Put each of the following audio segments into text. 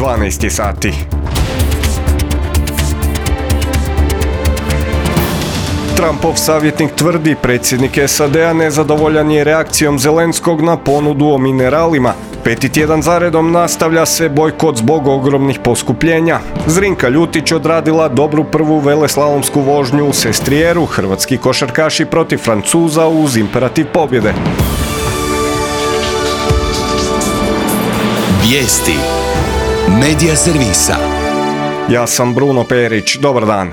12 sati. Trumpov savjetnik tvrdi predsjednik SAD-a nezadovoljan je reakcijom Zelenskog na ponudu o mineralima. 5. tjedan zaredom nastavlja se bojkot zbog ogromnih poskupljenja. Zrinka Ljutić odradila dobru prvu veleslalomsku vožnju u Sestrijeru, hrvatski košarkaši protiv Francuza uz imperativ pobjede. Vijesti Medija servisa. Ja sam Bruno Perić, dobar dan.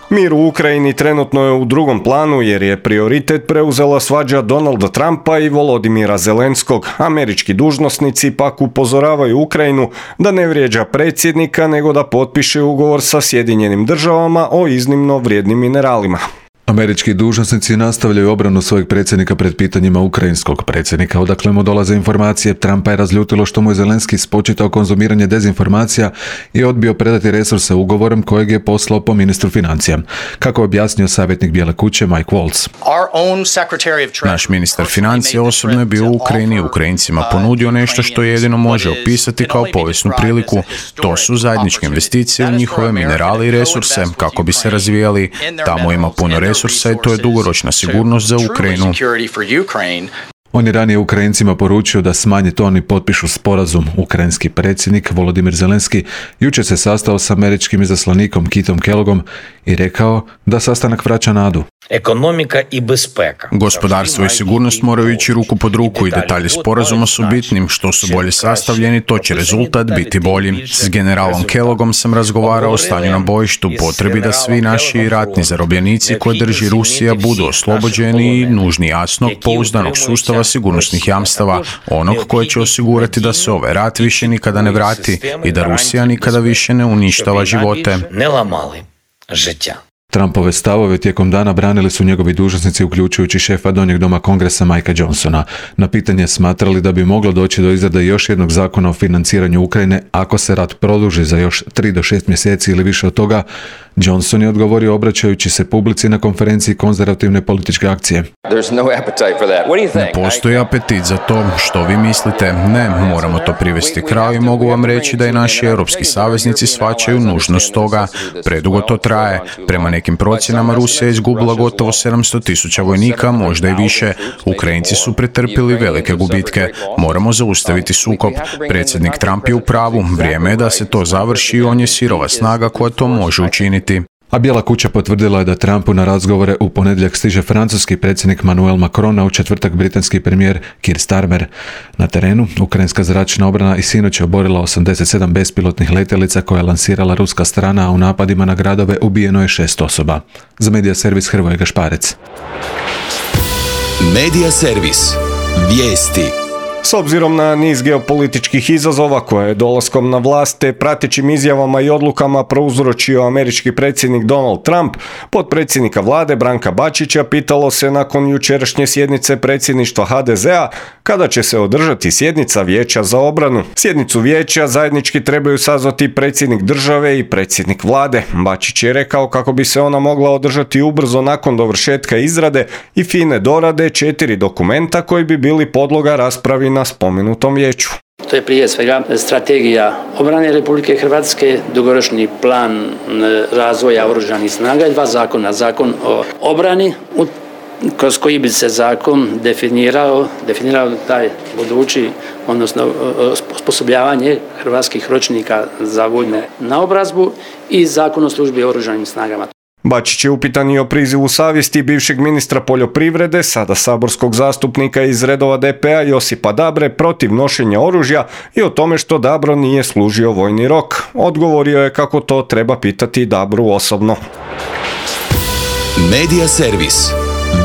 Mir u Ukrajini trenutno je u drugom planu jer je prioritet preuzela svađa Donalda Trumpa i Volodimira Zelenskog. Američki dužnosnici pak upozoravaju Ukrajinu da ne vrijeđa predsjednika nego da potpiše ugovor sa Sjedinjenim državama o iznimno vrijednim mineralima. Američki dužnosnici nastavljaju obranu svojeg predsjednika pred pitanjima ukrajinskog predsjednika. Odakle mu dolaze informacije, Trumpa je razljutilo što mu je Zelenski spočitao konzumiranje dezinformacija i odbio predati resurse ugovorem kojeg je poslao po ministru financija. Kako je objasnio savjetnik Bijele kuće Mike Waltz. Naš ministar financija osobno je bio u Ukrajini i Ukrajincima ponudio nešto što jedino može opisati kao povijesnu priliku. To su zajedničke investicije u njihove minerale i resurse kako bi se razvijali. Tamo ima puno resursa i to je dugoročna sigurnost za Ukrajinu. On je ranije Ukrajincima poručio da smanje ton i potpišu sporazum. Ukrajinski predsjednik Volodimir Zelenski jučer se sastao s američkim izaslanikom Kitom Kellogom i rekao da sastanak vraća nadu. Gospodarstvo i sigurnost moraju ići ruku pod ruku i detalji sporazuma su bitnim. Što su bolje sastavljeni, to će rezultat biti bolji. S generalom Kellogom sam razgovarao o stanju na bojištu, potrebi da svi naši ratni zarobljenici koje drži Rusija budu oslobođeni i nužni jasnog, pouzdanog sustava sigurnosnih jamstava, onog koje će osigurati da se ovaj rat više nikada ne vrati i da Rusija nikada više ne uništava živote. Trumpove stavove tijekom dana branili su njegovi dužnosnici, uključujući šefa Donjeg doma Kongresa Mikea Johnsona. Na pitanje smatrali da bi moglo doći do izrade još jednog zakona o financiranju Ukrajine ako se rat produži za još 3 do 6 mjeseci ili više od toga, Johnson je odgovorio obraćajući se publici na konferenciji konzervativne političke akcije. Ne postoji apetit za to. Što vi mislite? Ne, moramo to privesti kraju i mogu vam reći da i naši europski saveznici shvaćaju nužnost toga. Predugo to traje. Prema nekim procjenama Rusija je izgubila gotovo 700,000 vojnika, možda i više. Ukrajinci su pretrpili velike gubitke. Moramo zaustaviti sukob. Predsjednik Trump je u pravu. Vrijeme je da se to završi i on je sirova snaga koja to može učiniti. A Bijela kuća potvrdila je da Trumpu na razgovore u ponedjeljak stiže francuski predsjednik Emmanuel Macron, a u četvrtak britanski premijer Keir Starmer. Na terenu, ukrajinska zračna obrana i sinoć je oborila 87 bespilotnih letjelica koje je lansirala ruska strana, a u napadima na gradove ubijeno je 6 osoba. Za Medija servis Hrvoje Gašparec. Medija servis. Vijesti. S obzirom na niz geopolitičkih izazova koje je dolaskom na vlast te pratećim izjavama i odlukama prouzročio američki predsjednik Donald Trump, potpredsjednika vlade Branka Bačića pitalo se nakon jučerašnje sjednice predsjedništva HDZ-a kada će se održati sjednica Vijeća za obranu. Sjednicu vijeća zajednički trebaju sazvati predsjednik države i predsjednik vlade. Bačić je rekao kako bi se ona mogla održati ubrzo nakon dovršetka izrade i fine dorade 4 dokumenta koji bi bili podloga raspravi na spomenutom vijeću. To je prije svega strategija obrane Republike Hrvatske, dugoročni plan razvoja oružanih snaga i 2 zakona. Zakon o obrani, kroz koji bi se zakon definirao taj budući, odnosno osposobljavanje hrvatskih ročnika za vojnu naobrazbu i Zakon o službi oružanim snagama. Bačić je upitan i o prizivu savjesti bivšeg ministra poljoprivrede, sada saborskog zastupnika iz redova DP-a Josipa Dabre protiv nošenja oružja i o tome što Dabro nije služio vojni rok. Odgovorio je kako to treba pitati Dabru osobno. Medija servis.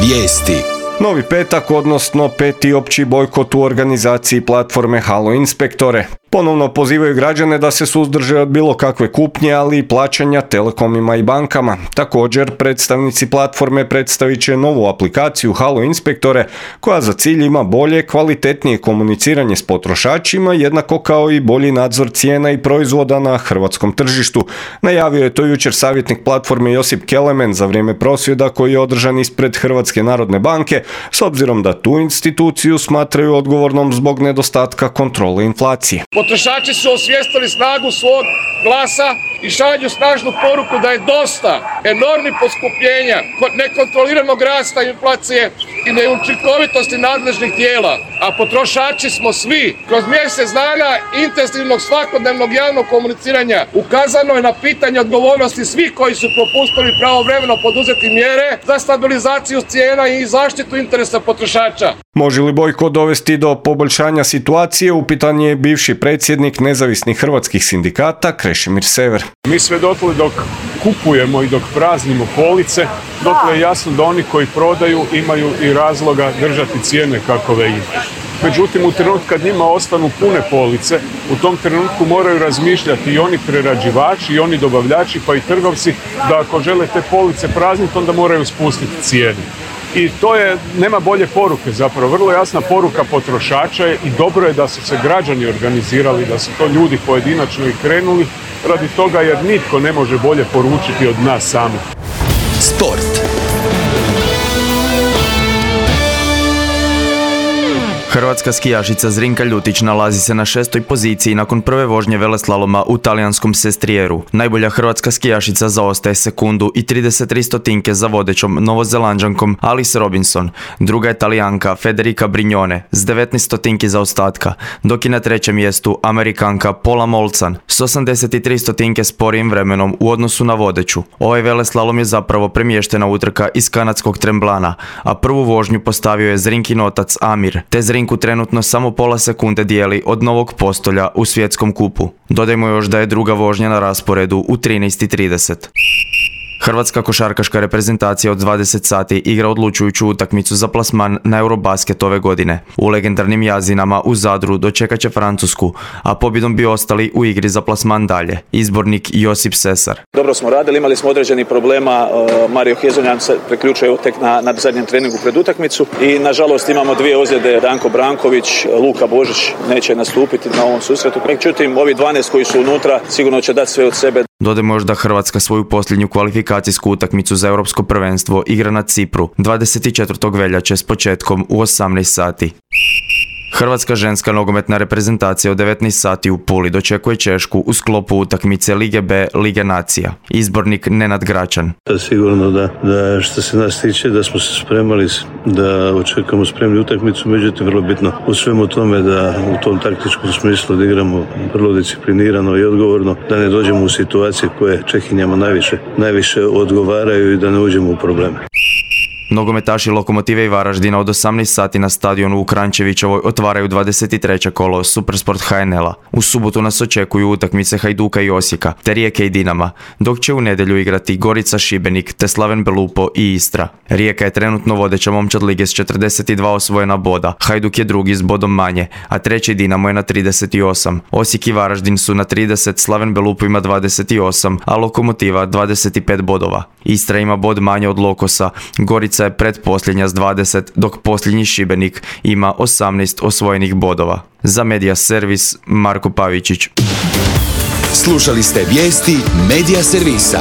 Vijesti. Novi petak, odnosno 5. opći bojkot u organizaciji platforme Halo Inspektore. Ponovno pozivaju građane da se suzdrže od bilo kakve kupnje, ali i plaćanja telekomima i bankama. Također, predstavnici platforme predstavit će novu aplikaciju Halo Inspektore, koja za cilj ima bolje, kvalitetnije komuniciranje s potrošačima, jednako kao i bolji nadzor cijena i proizvoda na hrvatskom tržištu. Najavio je to jučer savjetnik platforme Josip Kelemen za vrijeme prosvjeda koji je održan ispred Hrvatske narodne banke, s obzirom da tu instituciju smatraju odgovornom zbog nedostatka kontrole inflacije. Potrošači su osvijestili snagu svog glasa i šalju snažnu poruku da je dosta enormnih poskupljenja, nekontroliranog rasta inflacije i neučinkovitosti nadležnih tijela. A potrošači smo svi. Kroz mjesec dana intenzivnog svakodnevnog javnog komuniciranja ukazano je na pitanje odgovornosti svih koji su propustili pravovremeno poduzeti mjere za stabilizaciju cijena i zaštitu interesa potrošača. Može li bojkot dovesti do poboljšanja situacije? Upitan je bivši predsjednik nezavisnih hrvatskih sindikata Krešimir Sever. Mi sve dotle dok kupujemo i dok praznimo police, dotle je jasno da oni koji prodaju imaju i razloga držati cijene kakove imaju. Međutim, u trenutku kad njima ostanu pune police, u tom trenutku moraju razmišljati i oni prerađivači, i oni dobavljači, pa i trgovci, da ako žele te police prazniti, onda moraju spustiti cijene. I to je, nema bolje poruke zapravo, vrlo jasna poruka potrošača je i dobro je da su se građani organizirali, da su to ljudi pojedinačno i krenuli radi toga jer nitko ne može bolje poručiti od nas samih. Sport. Hrvatska skijašica Zrinka Ljutić nalazi se na 6. poziciji nakon prve vožnje veleslaloma u talijanskom Sestrijeru. Najbolja hrvatska skijašica zaostaje sekundu i 33 stotinke za vodećom novozelanđankom Alice Robinson. Druga je Talijanka Federica Brignone s 19 stotinki zaostatka, dok je na trećem mjestu Amerikanka Paula Molcan s 83 stotinke sporijim vremenom u odnosu na vodeću. Ovaj veleslalom je zapravo premještena utrka iz kanadskog Tremblana, a prvu vožnju postavio je Zrinkin otac Amir, te Zrinku trenutno samo pola sekunde dijeli od Novog Postolja u svjetskom kupu. Dodajmo još da je druga vožnja na rasporedu u 13:30. Hrvatska košarkaška reprezentacija od 20 sati igra odlučujuću utakmicu za plasman na Eurobasket ove godine. U legendarnim Jazinama u Zadru dočekat će Francusku, a pobjedom bi ostali u igri za plasman dalje. Izbornik Josip Sesar. Dobro smo radili, imali smo određenih problema. Mario Hezonjan se priključuje tek na zadnjem treningu pred utakmicu i nažalost imamo dvije ozljede. Danko Branković, Luka Božić neće nastupiti na ovom susretu. Međutim, ovi 12 koji su unutra sigurno će dati sve od sebe. Dodajmo još da Hrvatska svoju posljednju kvalifikacijsku utakmicu za Europsko prvenstvo igra na Cipru 24. veljače s početkom u 18 sati. Hrvatska ženska nogometna reprezentacija od 19 sati u Puli dočekuje Češku u sklopu utakmice Lige B Lige nacija. Izbornik Nenad Gračan. Sigurno da što se nas tiče da smo se spremali, da očekujemo spremni utakmicu, međutim vrlo bitno u svemu tome da u tom taktičkom smislu da igramo vrlo disciplinirano i odgovorno, da ne dođemo u situacije koje Čehinjama najviše odgovaraju i da ne uđemo u probleme. Nogometaši Lokomotive i Varaždina od 18 sati na stadionu u Kranjčevićevoj otvaraju 23. kolo Supersport HNL-a. U subotu nas očekuju utakmice Hajduka i Osijeka, te Rijeke i Dinama, dok će u nedjelju igrati Gorica, Šibenik, te Slaven Belupo i Istra. Rijeka je trenutno vodeća momčad lige s 42 osvojena boda, Hajduk je drugi s bodom manje, a treći Dinamo je na 38. Osijek i Varaždin su na 30, Slaven Belupo ima 28, a Lokomotiva 25 bodova. Istra ima bod manje od Lokosa, Gorica je pretposljednja s 20, dok posljednji Šibenik ima 18 osvojenih bodova. Za Medija Servis, Marko Pavičić. Slušali ste vijesti Medija Servisa.